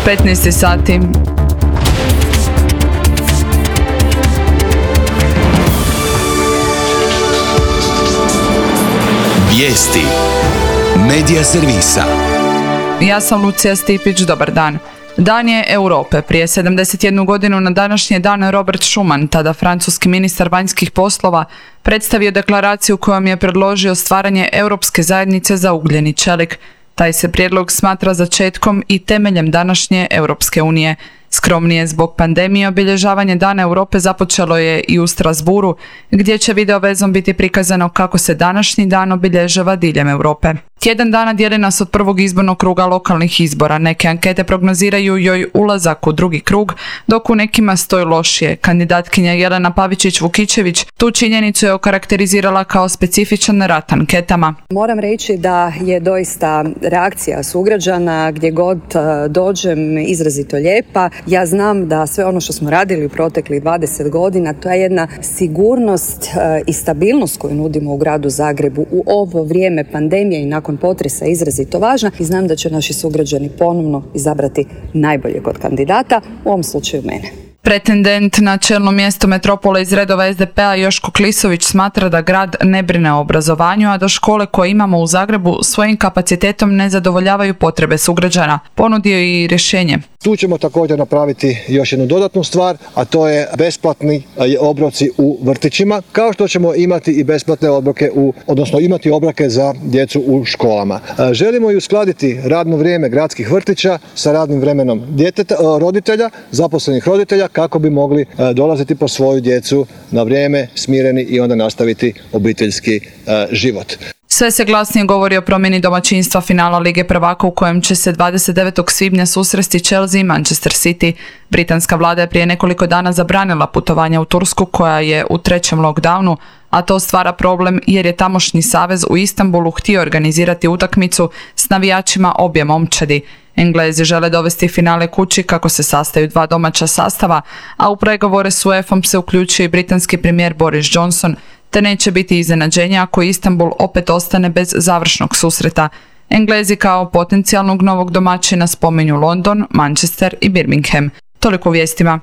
15 sati. Vijesti Medija servisa. Ja sam Lucija Stipić, dobar dan. Dan je Europe. Prije 71 godinu na današnji dan Robert Schuman, tada francuski ministar vanjskih poslova, predstavio deklaraciju kojom je predložio stvaranje Europske zajednice za ugljen i čelik. Taj se prijedlog smatra začetkom i temeljem današnje Europske unije. Skromnije zbog pandemije obilježavanje Dana Europe započelo je i u Strasbourgu, gdje će video vezom biti prikazano kako se današnji dan obilježava diljem Europe. Tjedan dana dijeli nas od prvog izbornog kruga lokalnih izbora. Neke ankete prognoziraju joj ulazak u drugi krug, dok u nekima stoji lošije. Kandidatkinja Jelena Pavičić-Vukičević tu činjenicu je okarakterizirala kao specifičan rat anketama. Moram reći da je doista reakcija sugrađana gdje god dođem izrazito lijepa. Ja znam da sve ono što smo radili u proteklih 20 godina, to je jedna sigurnost i stabilnost koju nudimo u gradu Zagrebu u ovo vrijeme pandemije i nakon potresa izrazito važna i znam da će naši sugrađani ponovno izabrati najboljeg od kandidata, u ovom slučaju mene. Pretendent na čelno mjesto metropole iz redova SDP-a Joško Klisović smatra da grad ne brine o obrazovanju, a da škole koje imamo u Zagrebu svojim kapacitetom ne zadovoljavaju potrebe sugrađana. Ponudio je i rješenje. Tu ćemo također napraviti još jednu dodatnu stvar, a to je besplatni obroci u vrtićima, kao što ćemo imati i besplatne obroke, odnosno imati obroke za djecu u školama. Želimo i uskladiti radno vrijeme gradskih vrtića sa radnim vremenom roditelja, zaposlenih roditelja, kako bi mogli dolaziti po svoju djecu na vrijeme, smireni i onda nastaviti obiteljski život. Sve se glasnije govori o promjeni domaćinstva finala Lige prvaka u kojem će se 29. svibnja susresti Chelsea i Manchester City. Britanska vlada je prije nekoliko dana zabranila putovanja u Tursku koja je u trećem lockdownu, a to stvara problem jer je tamošnji savez u Istanbulu htio organizirati utakmicu s navijačima obje momčadi. Englezi žele dovesti finale kući kako se sastaju dva domaća sastava, a u pregovore s UEFA-om se uključuje i britanski premijer Boris Johnson, te neće biti iznenađenja ako Istanbul opet ostane bez završnog susreta. Englezi kao potencijalnog novog domaćina spominju London, Manchester i Birmingham. Toliko u vijestima.